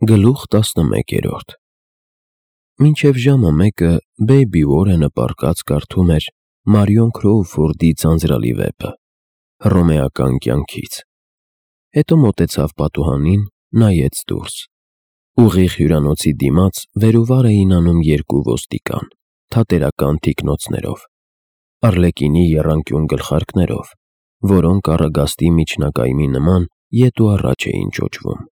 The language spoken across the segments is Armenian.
Գլուխ 11 Մինչև ժամը 1-ը Բեյբի Ուորենը պառկած կարդում էր Մարիոն Քրոուֆորդի ձանձրալի վեպը հռոմեական կյանքից։ Հետո մոտեցավ պատուհանին, նայեց դուրս։ Ուղիղ հյուրանոցի դիմաց վեր ու վար էին անում երկու ոստիկան, թատերական թիկնոցներով, արլեկինի եռանկյուն գլխարկներով, որոնք առագաստի միջնակայմի նման ետ ու առաջ էին ճոճվում։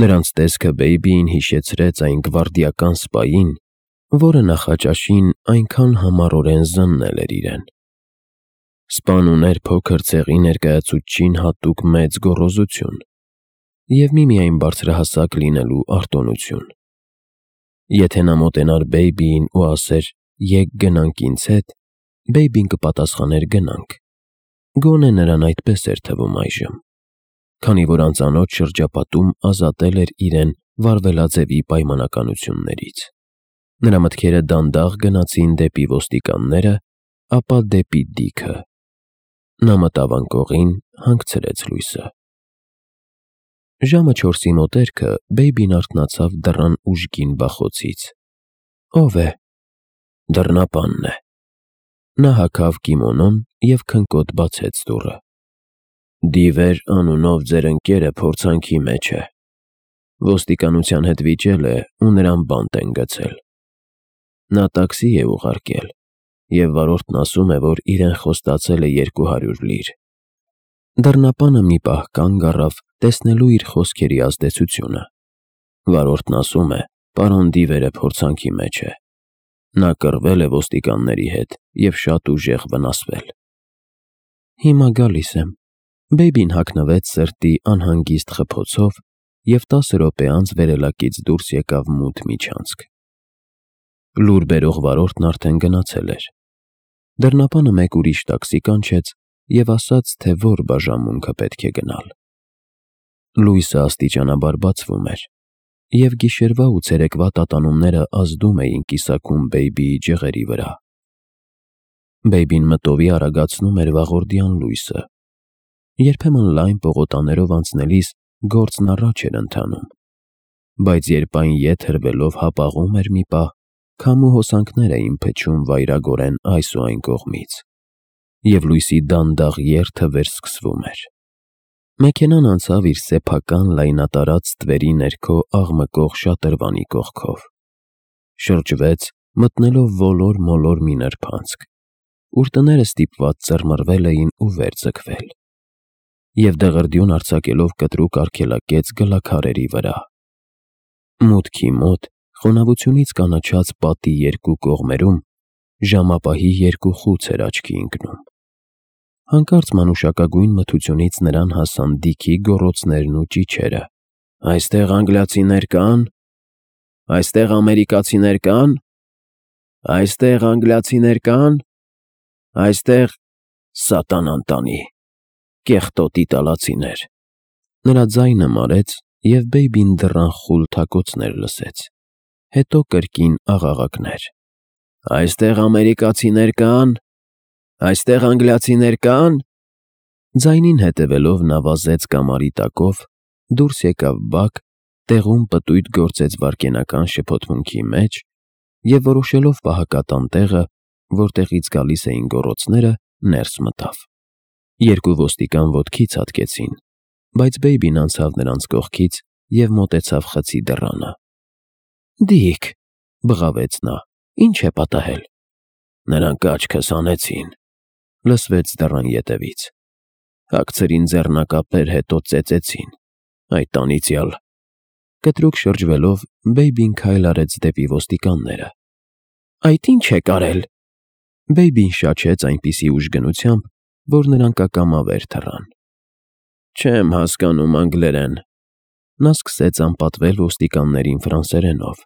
Նրանց տեսքը Բեյբիին հիշեցրեց այն գվարդիական սպային, որը նախաճաշին այնքան համառորեն զննել էր իրեն։ Սպան ուներ փոքր ցեղի ներկայացուցչին հատուկ մեծ գոռոզություն և միմիայն բարձրահասակ լինելու արտոնություն։ Եթե նա մոտենար Բեյբիին ու ասեր «Եկ գնանք ինձ հետ», Բեյբին կպատասխաներ «Գնանք»։ Գոնե նրան այդպես էր թվում այժմ, քանի որ անծանոթ շրջապատում ազատել էր իրեն վարվելաձևի պայմանականություններից։ Նրա մտքերը դանդաղ գնացին դեպի ոստիկանները, ապա դեպի Դիքը։ Նա մտավ անկողին, հանգցրեց լույսը։ Ժամը 4-ի մոտերքը Բեյբին արթնացավ դռան ուժգին բախոցից։ «Ո՞վ է»։ «Դռնապանն է»։ Նա հագավ կիմոնոն և քնկոտ բացեց դուռը։ «Դիվեր անունով ձեր ընկերը փորձանքի մեջ է։ Ոստիկանության հետ վիճել է ու նրան բանտ են գցել։ Նա տաքսի է ուղարկել, և վարորդն ասում է, որ իրեն խոստացել է 200 լիր»։ Դռնապանը մի պահ կանգ առավ, տեսնելու իր խոսքերի ազդեցությունը։ Վարորդն ասում է, պարոն Դիվերը փորձանքի մեջ է։ Նա կռվել է ոստիկանների հետ և շատ ուժեղ վնասվել։ «Հիմա գալիս եմ»։ Բեյբին հագնվեց սրտի անհանգիստ խփոցով և 10 րոպե անց վերելակից դուրս եկավ մութ միջանցք։ Լուր բերող վարորդն արդեն գնացել էր։ Դռնապանը մեկ ուրիշ տաքսի կանչեց և ասաց, թե որ բաժանմունքը պետք է գնալ։ Լույսը աստիճանաբար բացվում էր, և գիշերվա ու ցերեկվա տատանումները ազդում էին կիսագում Բեյբիի ջղերի վրա։ Բեյբին մտովի արագացնում էր վաղորդյան լույսը։ Երբեմն լայն պողոտաներով անցնելիս գործն առաջ էր ընթանում, բայց երբ այն ետ հրվելով հապաղում էր մի պահ, քամու հոսանքներ էին փչում վայրագորեն այս ու այն կողմից, և լույսի դանդաղ երթը վերսկսվում էր։ Մեքենան անցավ իր սեփական լայնատարած ստվերի ներքո աղմկող շատրվանի կողքով։ Շրջվեց, մտնելով ոլոր-մոլոր մի նրբանցք, ուր տները ստիպված ծռմռվել էին ու վեր ձգվել, և դղրդյուն արձակելով կտրուկ արգելակեց գլաքարերի վրա։ Մուտքի մոտ, խոնավությունից կանաչած պատի երկու կողմերում, ժամապահի երկու խուց էր աչքի ընկնում։ Հանկարծ մանուշակագույն մթությունից նրան հասան Դիքի գոռոցներն ու ճիչերը. «Այստեղ անգլիացիներ կա՞ն։ Այստեղ ամերիկացիներ կա՞ն։ Այստեղ անգլիացիներ կա՞ն։ Այստեղ… սատանան տանի… կեղտոտ իտալացիներ»։ Նրա ձայնը մարեց, և Բեյբին դռան խուլ թակոցներ լսեց, հետո կրկին աղաղակներ. «Այստեղ ամերիկացիներ կա՞ն։ Այստեղ անգլիացիներ կա՞ն»։ Ձայնին հետևելով նա վազեց կամարի տակով, դուրս եկավ բակ, տեղում պտույտ գործեց վայրկենական շփոթմունքի մեջ և, որոշելով պահակատան տեղը, որտեղից գալիս էին գոռոցները, ներս մտավ։ Երկու ոստիկան ոտքի ցատկեցին, բայց Բեյբին անցավ նրանց կողքից և մոտեցավ խցի դռանը։ «Դիք», բղավեց նա, «ի՞նչ է պատահել»։ «Նրանք աչքս հանեցին», լսվեց դռան ետևից։ «Հագցրին ձեռնակապեր, հետո ծեծեցին… այդ անիծյալ…»։ Կտրուկ շրջվելով Բեյբին քայլ արեց դեպի ոստիկանները։ «Այդ ի՞նչ եք արել»։ Բեյբին շաչեց այնպիսի ուժգնությամբ, որ նրանք ակամա վեր թռան։ «Չեմ հասկանում անգլերեն»։ Նա սկսեց անպատվել ոստիկաններին ֆրանսերենով։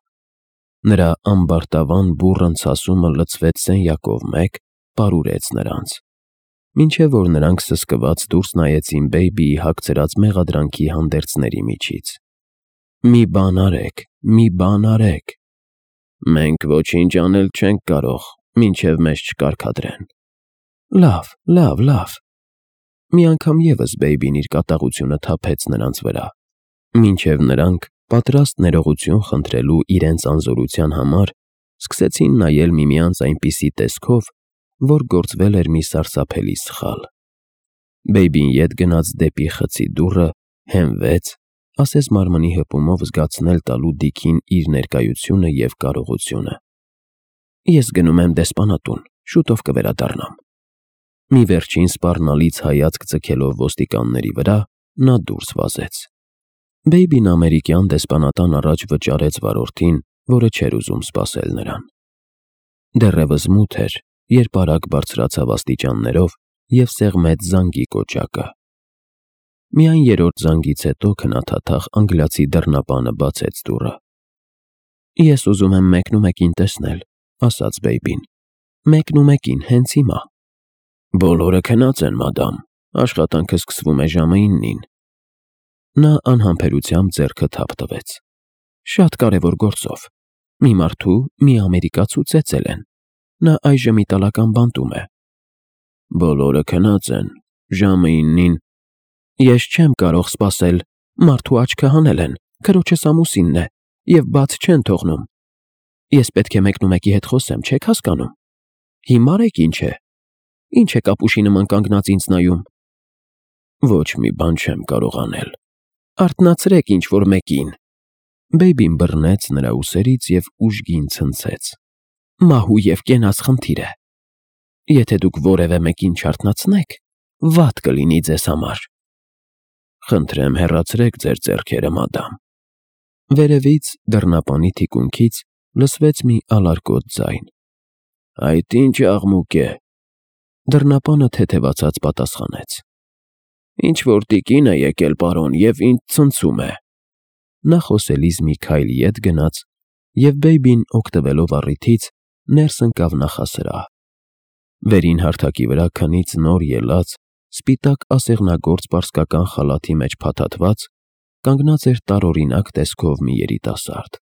Նրա ամբարտավան բուռն ցասումը լցվեց սենյակով մեկ, պարուրեց նրանց, մինչև որ նրանք սսկված դուրս նայեցին Բեյբիի հագցրած մեղադրանքի հանդերձների միջից։ «Մի բան արեք, մի բան արեք»։ «Մենք ոչինչ անել չենք կարող, մինչև մեզ չկարգադրեն»։ Լավ։ Մի անգամ ևս Բեյբին իր կատաղությունը թափեց նրանց վրա, մինչև նրանք պատրաստ ներողություն խնդրելու իրենց անզորության համար, սկսեցին նայել միմյանց այնպիսի տեսքով, որ գործվել էր մի սարսափելի սխալ։ Բեյբին ետ գնաց դեպի խցի դուռը, հենվեց, ասես մարմնի հպումով զգացնել տալու Դիքին իր ներկայությունը և կարողությունը։ Ես գնում եմ դեսպանատուն, շուտով կվերադառնամ։ Մի վերջին սպառնալից հայացք ձգելով ոստիկանների վրա, նա դուրս վազեց։ Բեյբին ամերիկյան դեսպանատան առաջ վճարեց վարորդին, որը չէր ուզում սպասել նրան։ Դեռևս մութ էր, երբ արագ բարձրացավ աստիճաններով և սեղմեց զանգի կոճակը։ Միայն երրորդ զանգից հետո քնաթաթախ անգլիացի դռնապանը բացեց դուռը։ Ես ուզում եմ մեկնումեկին տեսնել, ասաց Բեյբին։ Մեկնումեկին, հենց հիմա։ Բոլորը քնած են, մադամ, աշխատանքը սկսվում է ժամը 9-ին։ Նա անհամբերությամբ ձեռքը թափ տվեց։ Շատ կարևոր գործով։ Մի մարդու, մի ամերիկացու ծեծել են։ Նա այժմ իտալական բանտում է։ Բոլորը քնած են, ժամը 9-ին։ Ես չեմ կարող սպասել, մարդու աչքը հանել են, քրոջս ամուսինն է, և բաց չեն թողնում։ Ես պետք է մեկնումեկի հետ խոսեմ, չեք հասկանում։ Հիմար եք ինչ է։ Ինչ եք ապուշի նման կանգնած ինձ նայում։ Ոչ մի բան չեմ կարող անել։ Արթնացրեք ինչ-որ մեկին։ Բեյբին բռնեց նրա ուսերից և ուժգին ցնցեց։ Մահու և կենաց խնդիր է։ Եթե դուք որևէ մեկին չարթնացնեք, վատ կլինի ձեզ համար։ Խնդրեմ հեռացրեք ձեր ձեռքերը, մադամ։ Վերևից դռնապանի թիկունքից լսվեց մի ալարկոտ ձայն։ Այդ ինչ աղմուկ է։ Դռնապանը թեթևացած պատասխանեց. Ինչ-որ տիկին է եկել, պարոն, և ինձ ցնցում է։ Նա խոսելիս մի քայլ ետ գնաց, և Բեյբին, օգտվելով առիթից, ներս ընկավ նախասրահ։ Վերին հարթակի վրա քնից նոր ելած, սպիտակ ասեղնագործ պարսկական խալաթի մեջ փաթաթված, կանգնած էր տարօրինակ տեսքով մի երիտասարդ։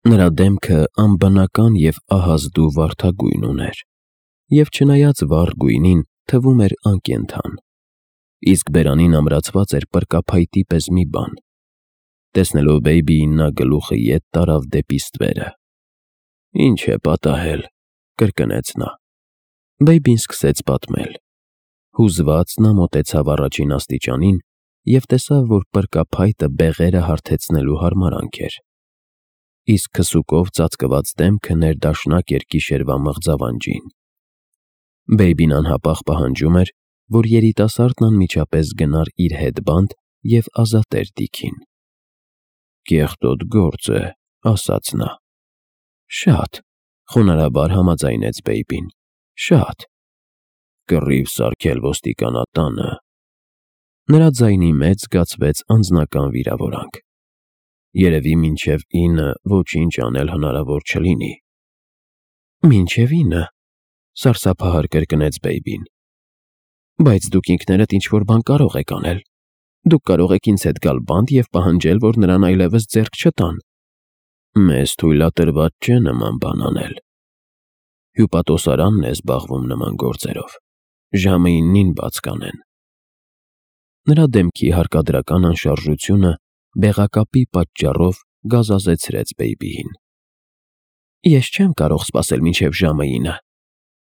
Նրա դեմքը անբնական և ահազդու վարդագույն ուներ, և չնայած վառ գույնին, թվում էր անկենդան, իսկ բերանին ամրացված էր պրկափայտի պես մի բան։ Տեսնելով Բեյբիին, նա գլուխը ետ տարավ դեպի ստվերը։ Ինչ է պատահել, կրկնեց նա։ Բեյբին սկսեց պատմել։ Հուզված նա մոտեցավ առաջին աստիճանին և տեսավ, որ պրկափայտը բեղերը հարթեցնելու հարմարանք էր, իսկ քսուկով ծածկված դեմքը ներդաշնակ էր գիշերվա մղձավանջին։ Բեյբին անհապաղ պահանջում էր, որ երիտասարդն անմիջապես գնար իր հետ բանտ և ազատեր Դիքին։ Կեղտոտ գործ է, ասաց նա։ Շատ, խոնարհաբար համաձայնեց Բեյբին, շատ։ Կռիվ սարքել ոստիկանատանը։ Նրա ձայնի մեջ զգացվեց անձնական վիրավորանք։ Երևի մինչև 9 ոչինչ անել հնարավոր չլինի։ Մինչև 9, սարսափահար կրկնեց Բեյբին։ Բայց դուք ինքներդ ինչ-որ բան կարող եք անել։ Դուք կարող եք ինձ հետ գալ բանտ և պահանջել, որ նրան այլևս ձեռք չտան։ Մեզ թույլատրված չէ նման բան անել։ Հյուպատոսարանն է զբաղվում նման գործերով։ Ժամը 9-ին բաց կանեն։ Նրա դեմքի հարկադրական անշարժությունը բեղակապի պատճառով գազազեցրեց Բեյբիին։ Ես չեմ կարող սպասել մինչև ժամը 9։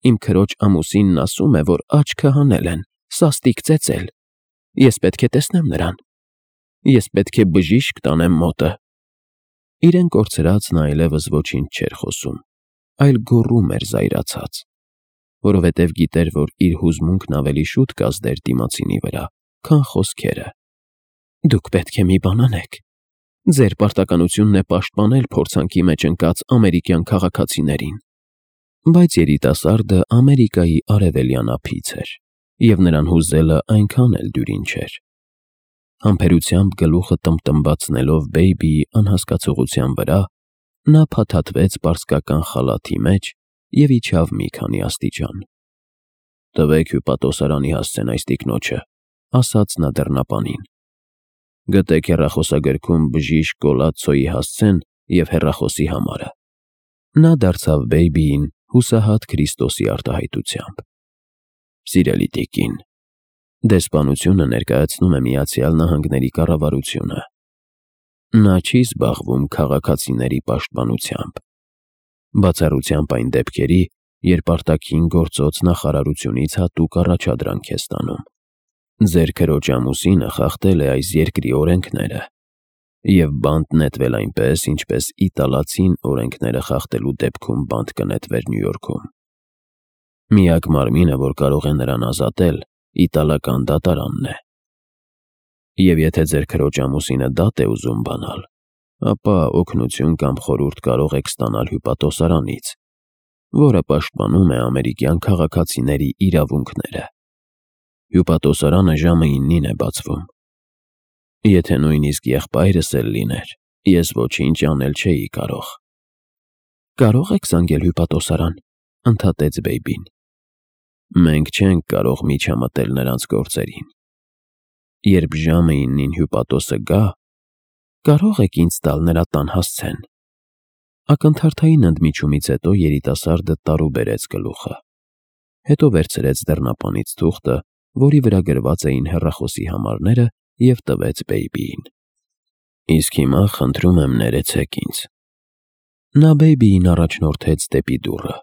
Իմ քրոջ ամուսինն ասում է, որ աչքը հանել են, սաստիկ ծեծել։ Ես պետք է տեսնեմ նրան։ Ես պետք է բժիշկ տանեմ մոտը։ Իրեն կորցրած նա այլևս ոչինչ չէր խոսում, այլ գոռում էր զայրացած, որովհետև գիտեր, որ իր հուզմունքն ավելի շուտ կազդեր դիմացինի վրա, քան խոսքերը։ Դուք պետք է մի բան անեք։ Ձեր պարտականությունն է պաշտպանել փորձանքի մեջ ընկած ամերիկյան քաղաքացիներին։ Բայց երիտասարդը Ամերիկայի արևելյան ափից էր, և նրան հուզելը այնքան էլ դյուրին չէր։ Համբերությամբ գլուխը տմտմբացնելով Բեյբիի անհասկացողության վրա, նա փաթաթվեց պարսկական խալաթի մեջ և իջավ մի քանի աստիճան։ Տվեք հյուպատոսարանի հասցեն այս տիկնոջը, ասաց նա դռնապանին։ Գտեք հեռախոսագրքում բժիշկ Գոլացոյի հասցեն և հեռախոսի համարը։ Նա դարձավ Բեյբիին հուսահատ Քրիստոսի արտահայտությամբ։ Սիրելի տիկին, դեսպանությունը ներկայացնում է Միացյալ Նահանգների կառավարությունը։ Նա չի զբաղվում քաղաքացիների պաշտպանությամբ, բացառությամբ այն դեպքերի, երբ արտաքին գործոց նախարարությունից հատուկ առաջադրանք է ստանում։ Ձեր քրոջ ամուսինը խախտել է այս երկրի օրենքները և բանտ նետվել այնպես, ինչպես իտալացին օրենքները խախտելու դեպքում բանտ կնետվեր Նյու Յորքում։ Միակ մարմինը, որ կարող է նրան ազատել, իտալական դատարանն է։ Եվ եթե ձեր քրոջ ամուսինը դատ է ուզում բանալ, ապա օգնություն կամ խորհուրդ կարող եք ստանալ հյուպատոսարանից, որը պաշտպանում է ամերիկյան քաղաքացիների իրավունքները։ Հյուպատոսարանը ժամը 9-ին է բացվում։ Եթե նույնիսկ եղբայրս էլ լիներ, ես ոչինչ անել չէի կարող։ Կարող եք զանգել հյուպատոսարան, ընդհատեց Բեյբին։ Մենք չենք կարող միջամտել նրանց գործերին։ Երբ ժամը 9-ին հյուպատոսը գա, կարող եք ինձ տալ նրա տան հասցեն։ Ակնթարթային ընդմիջումից հետո երիտասարդը տարուբերեց գլուխը։ Հետո վերցրեց դռնապանից թուղթը, որի վրա գրված էին հեռախոսի համարները, և տվեց Բեյբիին։ Իսկ հիմա խնդրում եմ ներեցեք ինձ։ Նա Բեյբիին առաջնորդեց դեպի դուռը։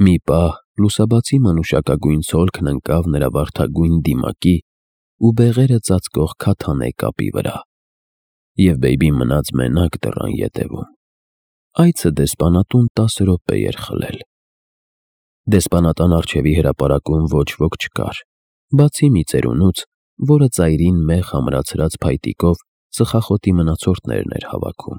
Մի պահ լուսաբացի մանուշակագույն ցոլքն ընկավ նրա վարդագույն դիմակի ու բեղերը ծածկող քաթանե կապի վրա, և Բեյբին մնաց մենակ դռան ետևում։ Այցը դեսպանատուն 10 րոպե էր խլել։ Դեսպանատան առջևի հրապարակում ոչ ոք չկար, բացի մի ծերունուց, որը ծայրին մեղ ամրացրած փայտիկով ծխախոտի մնացորդներն էր հավաքում։